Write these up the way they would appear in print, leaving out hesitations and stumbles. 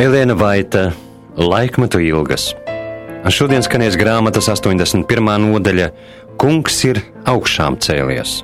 Elēna Vaita, Laikmetu ilgas. Šodien skanēs grāmatas 81. nodaļa Kungs ir augšām cēlies.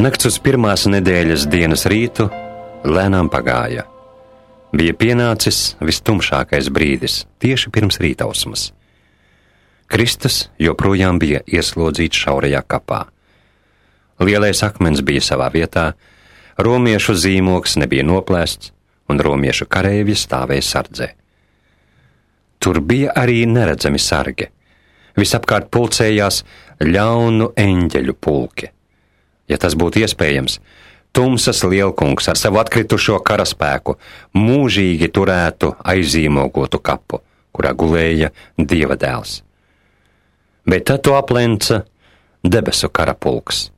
Nakts uz pirmās nedēļas dienas rītu lēnām pagāja. Bija pienācis vistumšākais brīdis, tieši pirms rītausmas. Kristus joprojām bija ieslodzīts šaurajā kapā. Lielais akmens bija savā vietā, romiešu zīmoks nebija noplēsts, un romiešu kareivji stāvēja sardzē. Tur bija arī neredzami sargi. Visapkārt pulcējās ļaunu eņģeļu pulki. Ja tas būtu iespējams, tumsas lielkungs ar savu atkritušo karaspēku mūžīgi turētu aizīmogotu kapu, kurā gulēja Dieva dēls. Bet tad to aplenca debesu karapulks.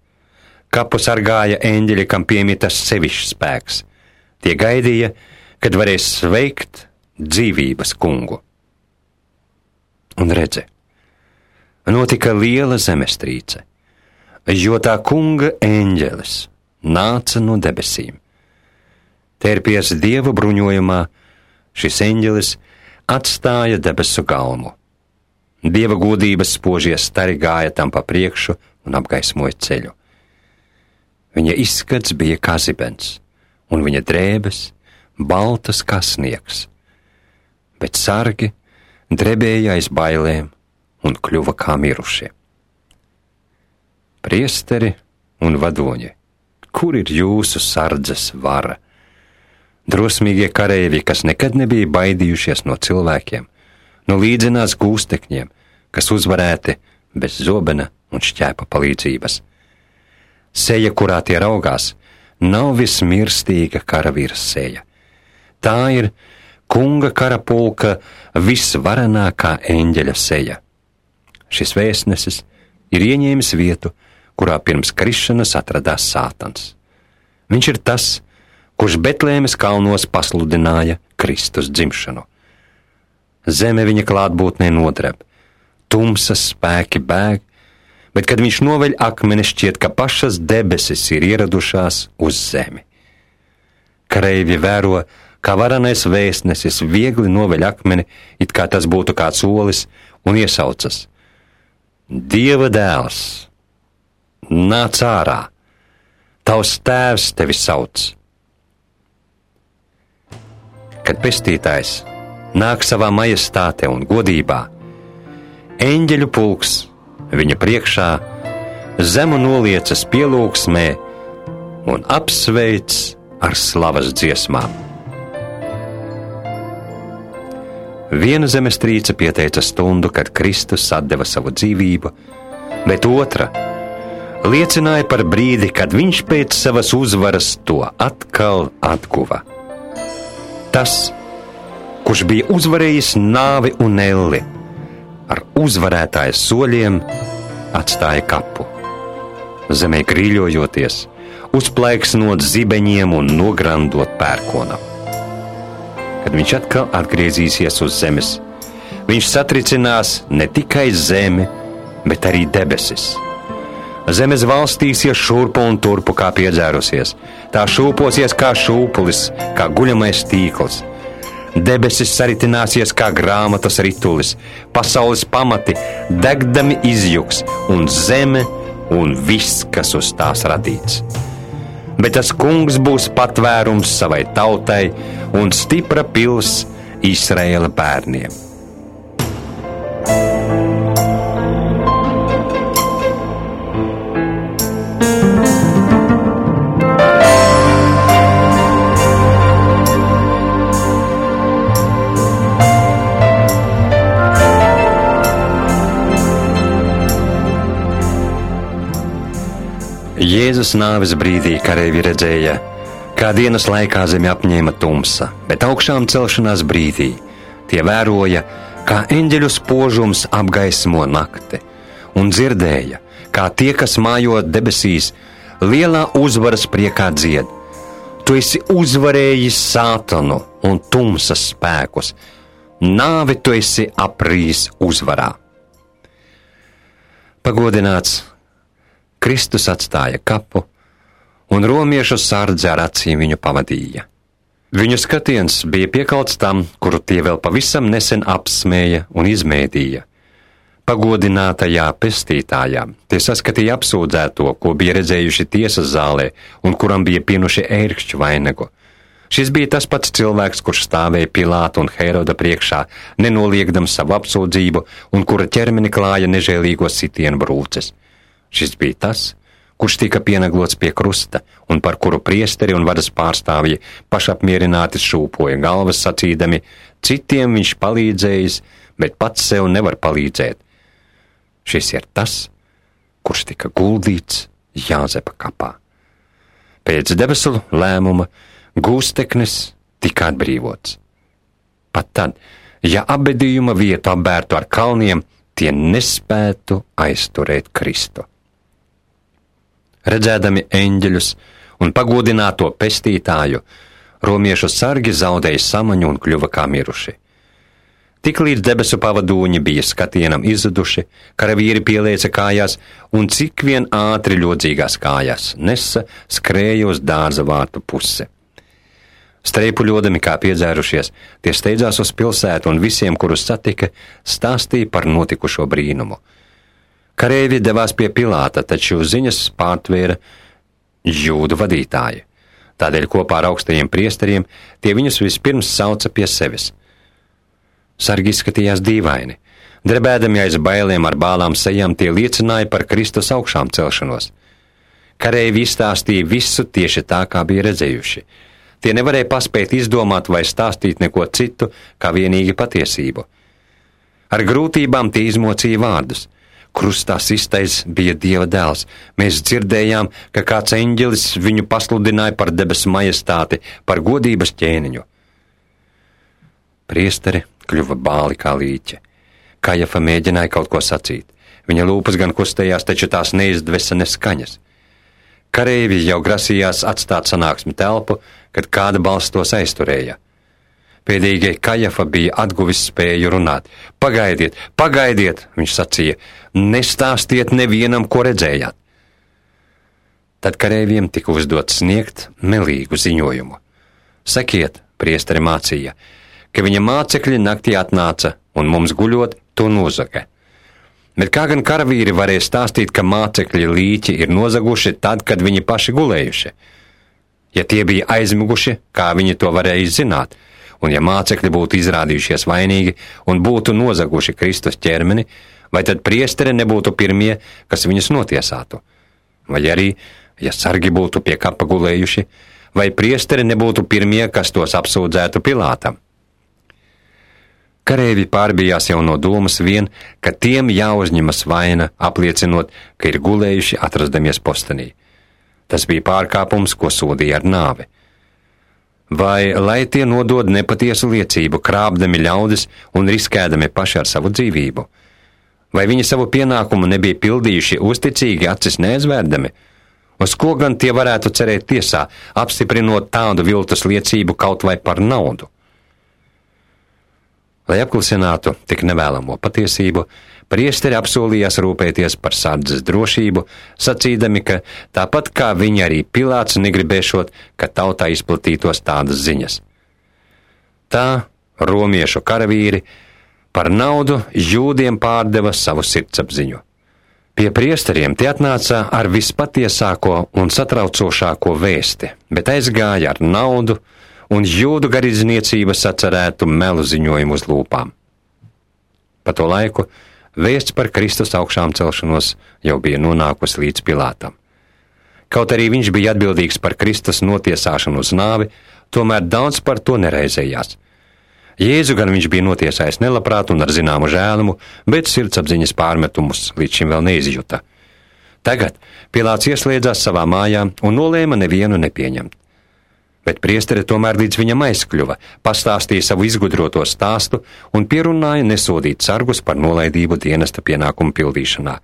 Kapu sargāja eņģeļi, kam piemitas sevišķs spēks. Tie gaidīja, kad varēs sveikt dzīvības kungu. Un redzi, notika liela zemestrīce, jo tā kunga eņģelis nāca no debesīm. Tērpies Dieva bruņojumā, šis eņģelis atstāja debesu galmu. Dieva godības spožie stari gāja tam pa priekšu un apgaismoja ceļu. Viņa izskats bija kā zibens, un viņa drēbes baltas kā sniegs. Bet sargi drebēja aiz bailēm un kļuva kā mirušie. Priesteri un vadoņi, kur ir jūsu sardzes vara? Drosmīgie kareivji, kas nekad nebija baidījušies no cilvēkiem, no līdzinās gūstekņiem, kas uzvarēti bez zobena un šķēpa palīdzības. Seja, kurā tie raugās, nav vismirstīga karavīra seja. Tā ir kunga karapulka visvarenākā eņģeļa seja. Šis vēstnesis ir ieņēmis vietu, kurā pirms krišanas atradās Sātans. Viņš ir tas, kurš Betlēmes kalnos pasludināja Kristus dzimšanu. Zeme viņa klātbūtnē nodreb, tumsas spēki bēg, bet kad viņš noveļ akmeni, šķiet, ka pašas debesis ir ieradušās uz zemi. Kareivji vēro, kā varenais vēstnesis viegli noveļ akmeni, it kā tas būtu kāds olis, un iesaucas: Dieva dēls, nāc ārā, tavs tēvs tevi sauc. Kad pestītājs nāk savā majestātē un godībā, eņģeļu pulks viņa priekšā zemu noliecas pielūgsmē un apsveic ar slavas dziesmām. Viena zemestrīce pieteica stundu, kad Kristus atdeva savu dzīvību, bet otra liecināja par brīdi, kad viņš pēc savas uzvaras to atkal atguva. Tas, kurš bija uzvarējis nāvi un elli, ar uzvarētāja soļiem atstāja kapu. Zemē grīļojoties, uzplaiksnot zibeņiem un nograndot pērkonam. Kad viņš atkal atgriezīsies uz zemes, viņš satricinās ne tikai zemi, bet arī debesis. Zemes valstīsies šurpu un turpu kā piedzērusies, tā šūposies kā šūpulis, kā guļamais tīkls. Debesis saritināsies kā grāmatas ritulis, pasaules pamati degdami izjuks, un zeme un viss, kas uz tās radīts. Bet tas kungs būs patvērums savai tautai un stipra pils Izraēla bērniem. Jēzus nāves brīdī kareivji redzēja, kā dienas laikā zemi apņēma tumsa, bet augšām celšanās brīdī tie vēroja, kā eņģeļu spožums apgaismo nakti, un dzirdēja, kā tie, kas mājo debesīs, lielā uzvaras priekā dzied. Tu esi uzvarējis sātanu un tumsas spēkus. Nāvi tu esi aprījis uzvarā. Pagodināts, Kristus atstāja kapu, un romiešu sardze ar acīm viņu pavadīja. Viņu skatiens bija piekalts tam, kuru tie vēl pavisam nesen apsmēja un izmēdīja. Pagodinātajā pestītājā tie saskatīja apsūdzēto, ko bija redzējuši tiesas zālē un kuram bija pienuši ērkšķu vainagu. Šis bija tas pats cilvēks, kurš stāvēja Pilāta un Heroda priekšā, nenoliegdams savu apsūdzību un kura ķermeni klāja nežēlīgo sitienu brūces. Šis bija tas, kurš tika pienaglots pie krusta un par kuru priesteri un varas pārstāvji pašapmierināti šūpoja galvas sacīdami, citiem viņš palīdzējis, bet pats sev nevar palīdzēt. Šis ir tas, kurš tika guldīts Jāzepa kapā. Pēc debesu lēmuma gūsteknis tika atbrīvots. Pat tad, ja apbedījuma vietu apbērtu ar kalniem, tie nespētu aizturēt Kristu. Redzēdami eņģeļus un pagodināto pestītāju, romiešu sargi zaudēja samaņu un kļuva kā miruši. Tiklīdz debesu pavadūņi bija skatienam izzuduši, karavīri pielieca kājās un cik vien ātri ļodzīgās kājās nesa, skrēja uz dārza vārtu pusi. Streipuļodami kā piedzērušies, tie steidzās uz pilsētu un visiem, kurus satika, stāstīja par notikušo brīnumu. Kareivji devās pie Pilāta, taču ziņas pārtvēra jūdu vadītāji. Tādēļ kopā ar augstajiem priesteriem tie viņus vispirms sauca pie sevis. Sargi izskatījās dīvaini. Drebēdami aiz bailēm ar bālām sejām tie liecināja par Kristus augšām celšanos. Kareivji izstāstīja visu tieši tā, kā bija redzējuši. Tie nevarēja paspēt izdomāt vai stāstīt neko citu, kā vienīgi patiesību. Ar grūtībām tie izmocīja vārdus. Krustā sistais bija Dieva dēls. Mēs dzirdējām, ka kāds eņģelis viņu pasludināja par debesu majestāti, par godības ķēniņu. Priesteri kļuva bāli kā līķe. Kajafa mēģināja kaut ko sacīt. Viņa lūpas gan kustējās, taču tās neizdvesa neskaņas. Kareivji jau grasījās atstāt sanāksmi telpu, kad kāda balss tos aizturēja. Pēdīgie Kajafa bija atguvis spēju runāt. Pagaidiet, pagaidiet, viņš sacīja, nestāstiet nevienam, ko redzējāt. Tad kareivjiem tika uzdots sniegt melīgu ziņojumu. Sakiet, priesteri mācīja, ka viņa mācekļi naktī atnāca un mums guļot to nozaga. Bet kā gan karavīri varēja stāstīt, ka mācekļi līķi ir nozaguši tad, kad viņi paši gulējuši? Ja tie bija aizmiguši, kā viņi to varēja zināt, un ja mācekļi būtu izrādījušies vainīgi un būtu nozaguši Kristus ķermeni, vai tad priesteri nebūtu pirmie, kas viņus notiesātu? Vai arī, ja sargi būtu pie kapa gulējuši, vai priesteri nebūtu pirmie, kas tos apsūdzētu Pilātam? Kareivji pārbijās jau no domas vien, ka tiem jāuzņemas vaina, apliecinot, ka ir gulējuši atrastamies postenī. Tas bija pārkāpums, ko sodīja ar nāvi. Vai lai tie nodod nepatiesu liecību, krāpdami ļaudis un riskēdami paši ar savu dzīvību? Vai viņi savu pienākumu nebija pildījuši uzticīgi acis neaizvērdami? Uz ko gan tie varētu cerēt tiesā, apstiprinot tādu viltus liecību kaut vai par naudu? Lai apklusinātu tik nevēlamo patiesību, priesteri apsolījās rūpēties par sardzes drošību, sacīdami, ka tāpat kā viņi arī Pilāts negribēšot, ka tautā izplatītos tādas ziņas. Tā romiešu karavīri par naudu jūdiem pārdeva savu sirdsapziņu. Pie priesteriem tie atnāca ar vispatiesāko un satraucošāko vēsti, bet aizgāja ar naudu, un jūdu garīdzniecība sacerētu melu ziņojumu uz lūpām. Pa to laiku vēsts par Kristus augšām celšanos jau bija nonākusi līdz Pilātam. Kaut arī viņš bija atbildīgs par Kristus notiesāšanu uz nāvi, tomēr daudz par to nereizējās. Jēzu gan viņš bija notiesājis nelabprāt un ar zināmu žēlumu, bet sirdsapziņas pārmetumus līdz šim vēl neizjuta. Tagad Pilāts ieslēdzās savā mājā un nolēma nevienu nepieņemt. Bet priesteri tomēr līdz viņam aizkļuva, pastāstīja savu izgudroto stāstu un pierunāja nesodīt sargus par nolaidību dienesta pienākumu pildīšanā.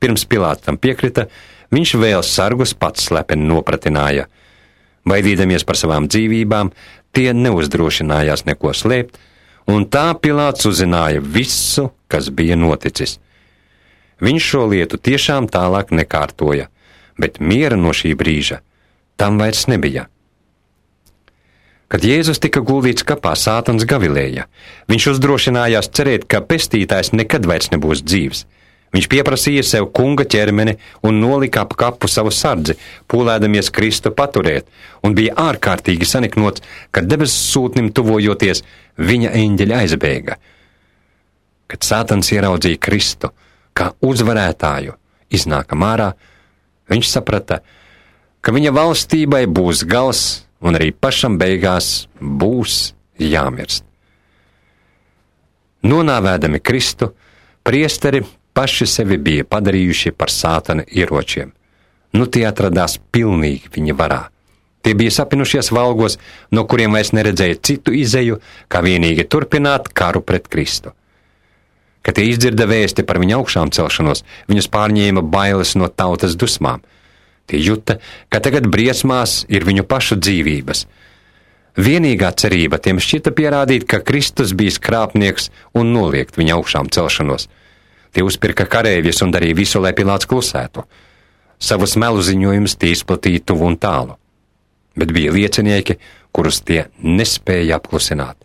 Pirms Pilāts tam piekrita, Viņš vēl sargus pats slepeni nopratināja. Baidīdamies par savām dzīvībām, tie neuzdrošinājās neko slēpt, un tā Pilāts uzzināja visu, kas bija noticis. Viņš šo lietu tiešām tālāk nekārtoja, bet miera no šī brīža tam vairs nebija. Kad Jēzus tika guldīts kapā, Sātans gavilēja. Viņš uzdrošinājās cerēt, ka pestītājs nekad vairs nebūs dzīvs. Viņš pieprasīja sev kunga ķermeni un nolika ap kapu savu sardzi, pūlēdamies Kristu paturēt, un bija ārkārtīgi saniknots, kad debesu sūtnim tuvojoties, viņa eņģeļi aizbēga. Kad Sātans ieraudzīja Kristu kā uzvarētāju iznākam ārā, viņš saprata, ka viņa valstībai būs gals un arī pašam beigās būs jāmirst. Nonāvēdami Kristu, priesteri paši sevi bija padarījuši par Sātana ieročiem. Nu tie atradās pilnīgi viņa varā. Tie bija sapinušies valgos, no kuriem vairs neredzēja citu izeju, kā vienīgi turpināt karu pret Kristu. Kad tie izdzirda vēsti par viņa augšām celšanos, viņus pārņēma bailes no tautas dusmām. Tie juta, ka tagad briesmās ir viņu pašu dzīvības. Vienīgā cerība tiem šķita pierādīt, ka Kristus bija krāpnieks un noliegt viņa augšām celšanos. Tie uzpirka kareivjus un darīja visu, lai Pilāts klusētu. Savus melu ziņojumus tie izplatīja tuvu un tālu. Bet bija liecinieki, kurus tie nespēja apklusināt.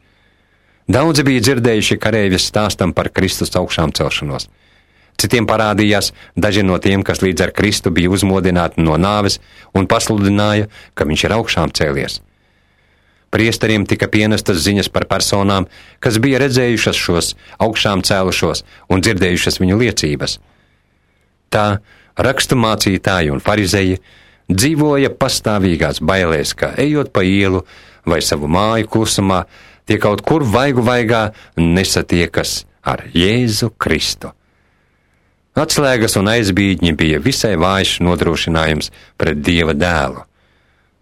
Daudzi bija dzirdējuši kareivjas stāstam par Kristus augšām celšanos. Citiem parādījās daži no tiem, kas līdz ar Kristu bija uzmodināti no nāves un pasludināja, ka viņš ir augšām cēlies. Priesteriem tika pienestas ziņas par personām, kas bija redzējušas šos augšām cēlušos un dzirdējušas viņu liecības. Tā rakstu mācītāji un farizeji dzīvoja pastāvīgās bailēs, ka ejot pa ielu vai savu māju klusumā, tie kaut kur vaigu vaigā nesatiekas ar Jēzu Kristu. Atslēgas un aizbīdņi bija visai vājš nodrošinājums pret Dieva dēlu.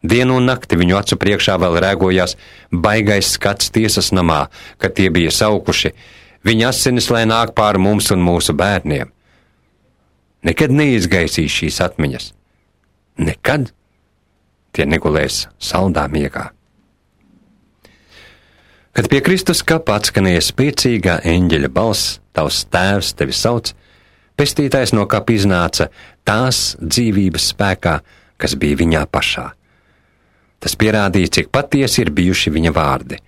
Dienu un nakti viņu acu priekšā vēl rēgojās baigais skats tiesas namā, kad tie bija saukuši: viņa asinis, lai nāk pār mums un mūsu bērniem. Nekad neizgaisīs šīs atmiņas. Nekad tie negulēs saldā miegā. Kad pie Kristus kapa atskanēja spēcīgā eņģeļa balss: tavs tēvs tevi sauc, pestītājs no kapa iznāca tās dzīvības spēkā, kas bija viņā pašā. Tas pierādīja, cik patiesi ir bijuši viņa vārdi.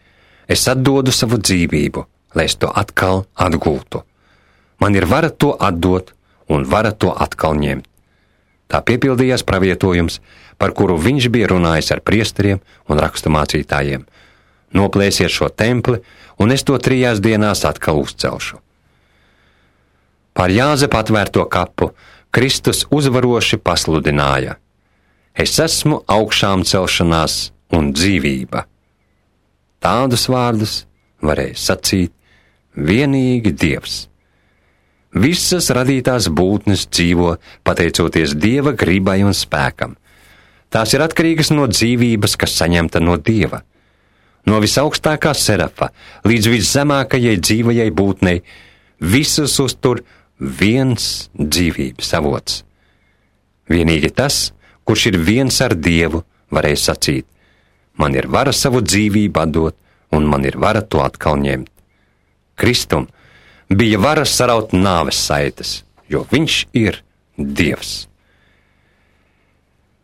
Es atdodu savu dzīvību, lai es to atkal atgūtu. Man ir vara to atdot un vara to atkal ņemt. Tā piepildījās pravietojums, par kuru viņš bija runājis ar priesteriem un raksturmācītājiem. Noplēsiet šo templi, un es to 3 dienās atkal uzcelšu. Pār Jāzepa atvērto kapu Kristus uzvaroši pasludināja: es esmu augšām celšanās un dzīvība. Tādus vārdus varēja sacīt vienīgi Dievs. Visas radītās būtnes dzīvo pateicoties Dieva gribai un spēkam. Tās ir atkarīgas no dzīvības, kas saņemta no Dieva. No visaugstākā serafa līdz viszemākajai dzīvajai būtnei visus uztur viens dzīvības avots. Vienīgi tas, kurš ir viens ar Dievu, varēja sacīt: man ir vara savu dzīvību atdot, un man ir vara to atkal ņemt. Kristum bija vara saraut nāves saites, jo viņš ir Dievs.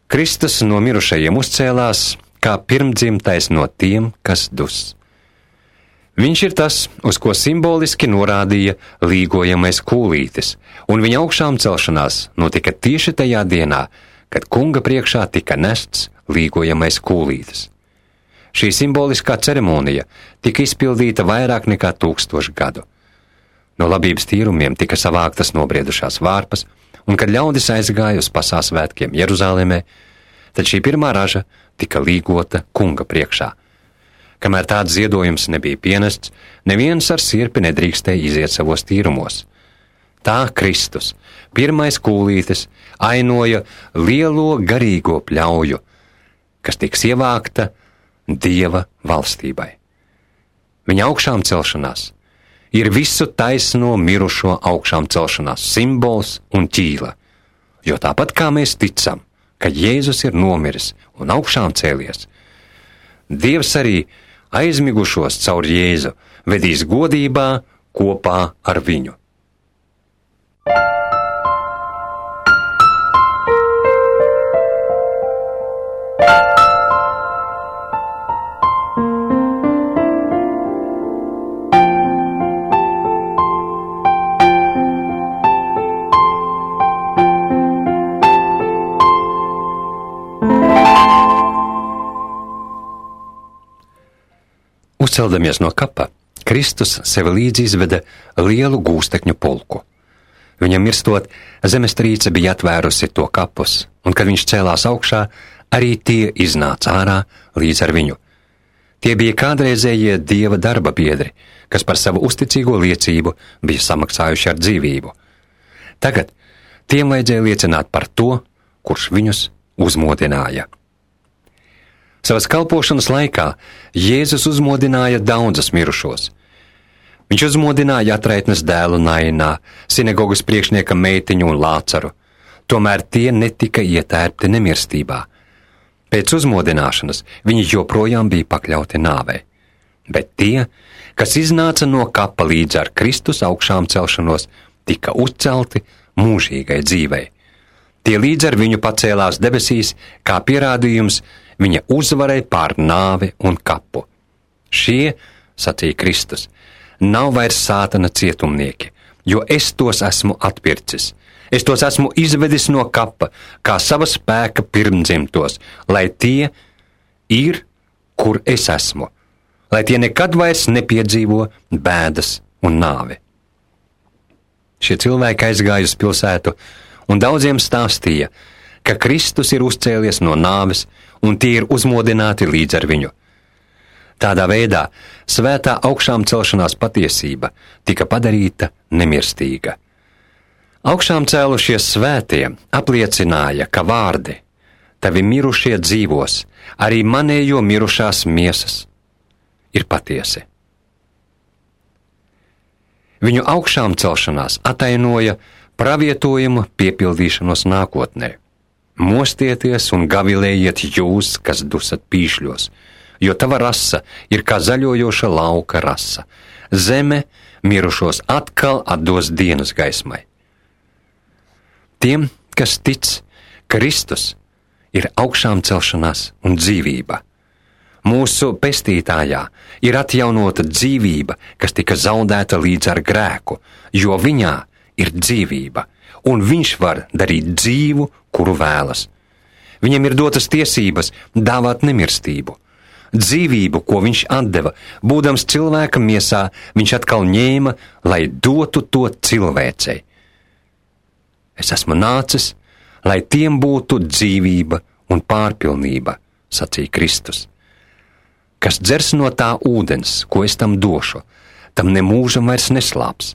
Kristus no mirušajiem uzcēlās kā pirmdzimtais no tiem, kas dus. Viņš ir tas, uz ko simboliski norādīja līgojamais kūlītis, un viņa augšām celšanās notika tieši tajā dienā, kad kunga priekšā tika nests līgojamais kūlītis. Šī simboliskā ceremonija tika izpildīta vairāk nekā 1000 gadu. No labības tīrumiem tika savāktas nobriedušās vārpas, un kad ļaudis aizgāja uz pasāsvētkiem Jeruzālēmē, tad šī pirmā raža tika līgota kunga priekšā. Kamēr tāds ziedojums nebija pienests, neviens ar sirpi nedrīkstēja iziet savos tīrumos. Tā Kristus, pirmais kūlītis, ainoja lielo garīgo pļauju, kas tiks ievākta Dieva valstībai. Viņa augšām celšanās ir visu taisno mirušo augšām celšanās simbols un ķīla, Jo tāpat kā mēs ticam, ka Jēzus ir nomiris un augšām cēlies, Dievs arī aizmigušos caur Jēzu vedīs godībā kopā ar viņu. Uzceldamies no kapa, Kristus sev līdzi izveda lielu gūstekņu pulku. Viņam mirstot, zemestrīce bija atvērusi to kapus, un kad viņš cēlās augšā, arī tie iznāca ārā līdz ar viņu. Tie bija kādreizējie Dieva darba biedri, kas par savu uzticīgo liecību bija samaksājuši ar dzīvību. Tagad tiem vajadzēja liecināt par to, kurš viņus uzmodināja. Savas kalpošanas laikā Jēzus uzmodināja daudzus mirušos. Viņš uzmodināja atraitnes dēlu Nainā, sinagogas priekšnieka meitiņu un Lācaru. Tomēr tie netika ietērpti nemirstībā. Pēc uzmodināšanas viņi joprojām bija pakļauti nāvei. Bet tie, kas iznāca no kapa līdz ar Kristus augšām celšanos, tika uzcelti mūžīgai dzīvei. Tie līdz ar viņu pacēlās debesīs, kā pierādījums viņa uzvarai pār nāvi un kapu. Šie, sacīja Kristus, nav vairs sātana cietumnieki, jo es tos esmu atpircis. Es tos esmu izvedis no kapa, kā sava spēka pirmdzimtos, lai tie ir, kur es esmu, lai tie nekad vairs nepiedzīvo bēdas un nāvi. Šie cilvēki aizgāja uz pilsētu un daudziem stāstīja, ka Kristus ir uzcēlies no nāves un tie ir uzmodināti līdz ar viņu. Tādā veidā svētā augšām celšanās patiesība tika padarīta nemirstīga. Augšām cēlušies svētie apliecināja, ka vārdi tavi mirušie dzīvos, arī manējo mirušās miesas ir patiesi. Viņu augšām celšanās atainoja pravietojumu piepildīšanos nākotnē. Mostieties un gavilējiet jūs, kas dusat pīšļos, jo tava rasa ir kā zaļojoša lauka rasa. Zeme mirušos atkal atdos dienas gaismai. Tiem, kas tic, Kristus ir augšām celšanās un dzīvība. Mūsu pestītājā ir atjaunota dzīvība, kas tika zaudēta līdz ar grēku, jo viņā ir dzīvība, un viņš var darīt dzīvu, kuru vēlas. Viņam ir dotas tiesības dāvāt nemirstību. Dzīvību, ko viņš atdeva, būdams cilvēka miesā, viņš atkal ņēma, lai dotu to cilvēcei. Es esmu nācis, lai tiem būtu dzīvība un pārpilnība, sacīja Kristus. Kas dzers no tā ūdens, ko es tam došu, tam nemūžam vairs neslāps,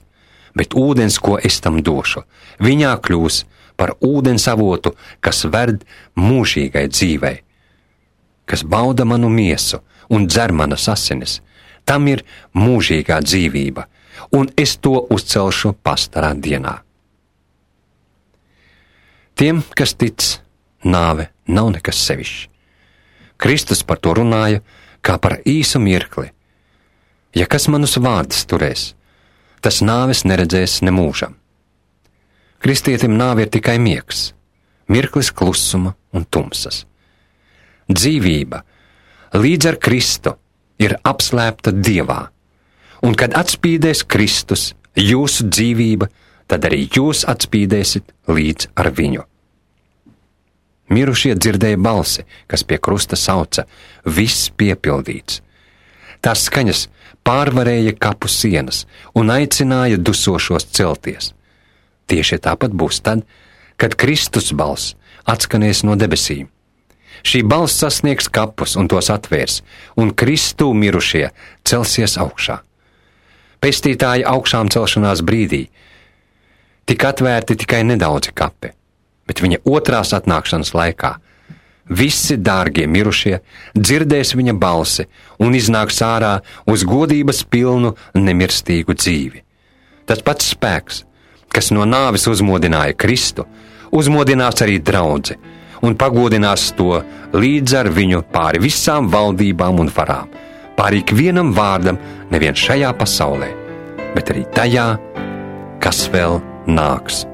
bet ūdens, ko es tam došu, viņā kļūs par ūdens avotu, kas ved mūžīgai dzīvei. Kas bauda manu miesu un dzer manas asinis, tam ir mūžīgā dzīvība, un es to uzcelšu pastarā dienā. Tiem, kas tic, nāve nav nekas sevišķs. Kristus par to runāja kā par īsu mirkli. Ja kas manus vārdus turēs, tas nāves neredzēs nemūžam. Kristietim nāve ir tikai miegs, mirklis klusuma un tumsas. Dzīvība līdz ar Kristu ir apslēpta Dievā, un kad atspīdēs Kristus, jūsu dzīvība, tad arī jūs atspīdēsit līdz ar viņu. Mirušie dzirdēja balsi, kas pie krusta sauca, viss piepildīts. Tās skaņas pārvarēja kapu sienas un aicināja dusošos celties. Tieši tāpat būs tad, kad Kristus balss atskanēs no debesīm. Šī balss sasniegs kapus un tos atvērs, un Kristū mirušie celsies augšā. Pestītāja augšām celšanās brīdī tika atvērti tikai nedaudzi kapi, bet viņa otrās atnākšanas laikā visi dārgie mirušie dzirdēs viņa balsi un iznāks ārā uz godības pilnu nemirstīgu dzīvi. Tas pats spēks, kas no nāves uzmodināja Kristu uzmodinās arī draudzi un pagodinās to līdz ar viņu pāri visām valdībām un varām, pāri ikvienam vārdam nevien šajā pasaulē, bet arī tajā, kas vēl nāks.